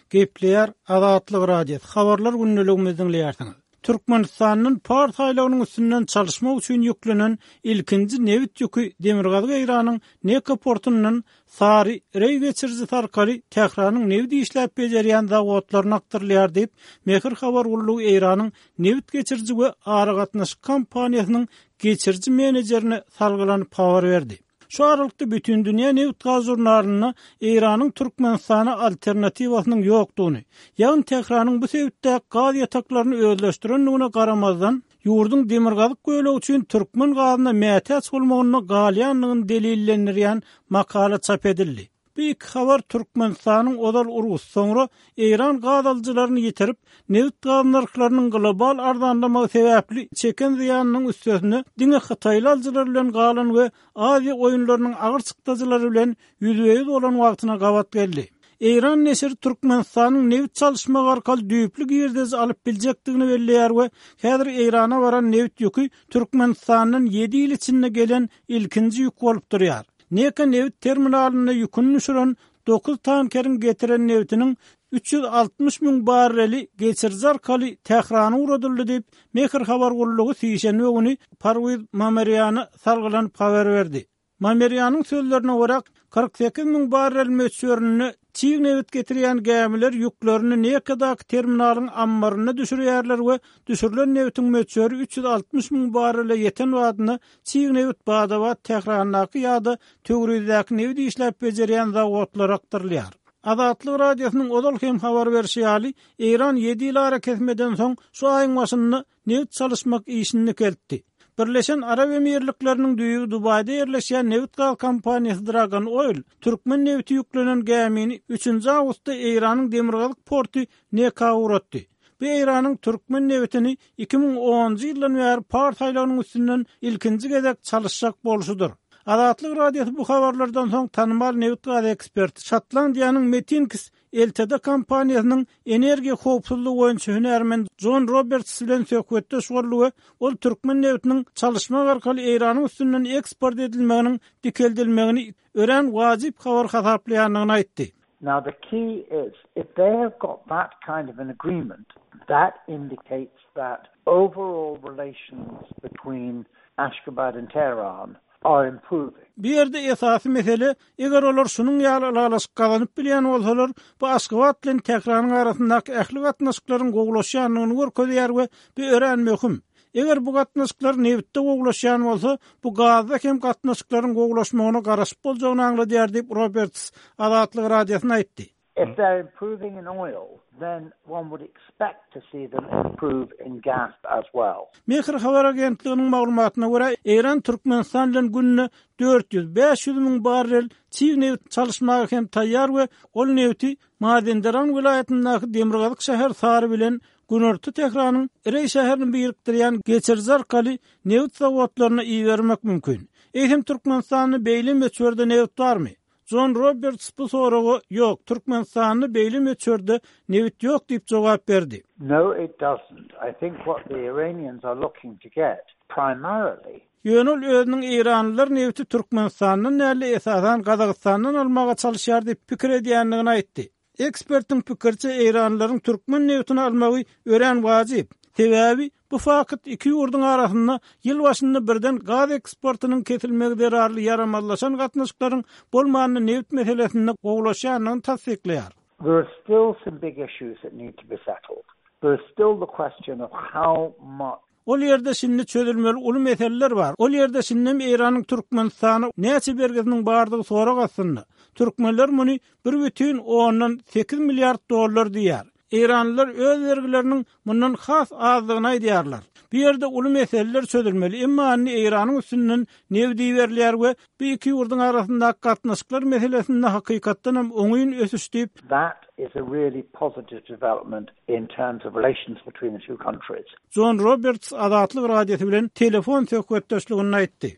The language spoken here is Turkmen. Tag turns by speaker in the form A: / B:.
A: Gepleýär Azatlyk Radiosy, Habarlar gündeligimizi diňleýärsiňiz. Türkmenistandan Pars aýlagynyň üstünden çalyşmak üçin ýüklenen ilkinji nebit ýüki Demirgazyk Eýranyň Neka portundan Sary Reý geçirijisi arkaly Tähranyň nebit işläp bejerýän zawodlaryna akdyrylýar diýip, Mehr habar gullugy Eýranyň nebit geçiriji we aragatnaşyk kompaniýasynyň geçiriji menejerine salgylanyp habar berdi. Şu aralykda Bütindünýä nebit-gaz žurnalynda Eýranyň Türkmenistana alternatiwasynyň ýokdugyny, ýagny Tähranyň bu sebitdäki gaz ýataklaryny özleşdirendigine garamazdan, ýurduň demirgazyk bölegi üçin türkmen gazyna mätäç bolmagynda galýandygyny delillendirýän makala çap edildi. Bu iki habar Türkmenistanyň ozal rus, soňra eýran gaz alyjylaryny ýitirip, nebit-gaz nyrhlarynyň global arzanlamagy sebäpli çeken zyýanynyň üstesine diňe hytaýly alyjylar bilen galan we Aziýa oýunlarynyň agyr çykdajylary bilen ýüzbe-ýüz bolan wagtyna gabat geldi. Eýran neşiri Türkmenistanyň nebit çalyşmak arkaly düýpli girdeji alyp biljekdigini belleýär we häzir Eýrana baran nebit ýüki Türkmenistandan ýedi ýyl içinde gelen ilkinji ýük bolup durýar. Neka nebit terminalynda ýüküni düşüren dokuz tankeriň getiren nebitiniň 360 müň barreli geçiriji arkaly Tährana ugradyldy diýip, Mehr habar gullugy sişenbe güni Parwiz Mamerýana salgylanyp habar berdi. Mamerýanyň sözlerine görä, 48 müň barrel möçberinde çig nebit getirýän gämiler ýüklerini Nekadaky terminalyň ammarynda düşürýärler we düşürilen nebitiň möçberi 360 müň barrele ýeten badyna Çig nebit bada-bat Tährandaky ýa-da Töwrizdäki nebit işläp bejerýän zawodlara akdyrylýar. Azatlyk Radiosynyň ozal hem habar berşi ýaly, Eýran ýedi ýyl arakesmeden soň şu aýyň başynda nebit çalyşmak işini dikeltdi. Birleşen Arap Emirlikleriniň düýbi Dubaýda ýerleşýän nebit-gaz kompaniýasy Dragon Oil türkmen nebiti ýüklenen gämini üçünji awgustda Eýranyň demirgazyk porty Neka ugratdy. Bu Eýranyň türkmen nebitini 2010-njy ýyldan bäri Pars aýlagynyň üstünden ilkinji gezek çalyşjak bolşudyr. Azatlyk Radiosy bu habarlardan soň tanymal nebit-gaz eksperti, Şotlandiýanyň Metinkis LTD kompaniýasynyň energiýa howpsuzlygy boýunça hünärmen Jon Roberts bilen söhbetdeş boldy we ol türkmen nebitiniň çalyşmak arkaly Eýranyň üstünden eksport edilmeginiň dikeldilmegini örän wajyp habar hasaplaýandygyny aýtdy.
B: Now the key is if they have got that kind of an agreement that indicates that overall relations between Ashgabat and Tehran are improving.
A: Bu ýerde esasy mesele, eger olar şunuň ýaly ylalaşyk gazanyp bilýän bolsalar, bu Aşgabat bilen Tähranyň arasyndaky ähli gatnaşyklaryň gowulaşýandygyny görkezýär we bu örän möhüm. Eger bu gatnaşyklar nebitde gowulaşýan bolsa, bu gazda hem gatnaşyklaryň gowulaşmagyna garaşyp boljagyny aňladýar diýip, Roberts Azatlyk Radiosyna aýtdy.
B: If they're improving in oil, then one would expect to see them improve in gas as well.
A: Mehr habar agentliginiň maglumatyna görä, Eýran Türkmenistan bilen günde 400, 500 müň barrel çig nebit çalyşmaga hem taýýar we ol nebiti Mazenderan welaýatyndaky demirgazyk şäher Sary bilen Günorta Tähranyň Reý şäherini birikdirýän geçiriji arkaly nebit zawodlaryna ibermek mümkin. Eýsem Türkmenistanda beýle möçberde nebit barmy? Jon Roberts bu soraga Ýok, Türkmenistanda beýle möçberde nebit ýok diýip jogap berdi.
B: No it doesn't. I think what the Iranians are looking to get primarily.
A: Ýöne ol özüniň eýranlylar nebiti Türkmenistandan däl-de esasan Gazagystandan almaga çalyşýar diýip pikir edýändigini aýtdy. Ekspertiň pikiriçe, eýranlylaryň türkmen nebitini almagy örän wajyp. Sebäbi, bu fakt iki ýurduň arasynda ýyl başynda birden gaz eksportynyň kesilmegi zerarly ýaramazlaşan gatnaşyklaryň bolmanda nebit meselesinde gowulaşýandygyny tassyklaýar.
B: There are still some big issues that need to be settled. There is still the question of how much.
A: Ol ýerde şindi çözülmeli uly meseleler bar. Ol ýerde şindem Eýranyň Türkmenistana näçe bergisiniň bardygy sorag astynda. Türkmenler muny bir bütin ondan sekiz milliard dollar diýýär. Eýranlylar öz bergileriniň mundan has azdygyny aýdýarlar. Bu ýerde uly meseleler çözülmeli, emma indi Eýranyň üstünden nebit iberilýär we bu iki ýurduň arasyndaky gatnaşyklar meselesinde hakykatdanam oňyn ösüş diýip,
B: That is a really positive development in terms of relations between the two countries.
A: Jon Roberts Azatlyk Radiosy bilen telefon söhbetdeşliginde aýtdy.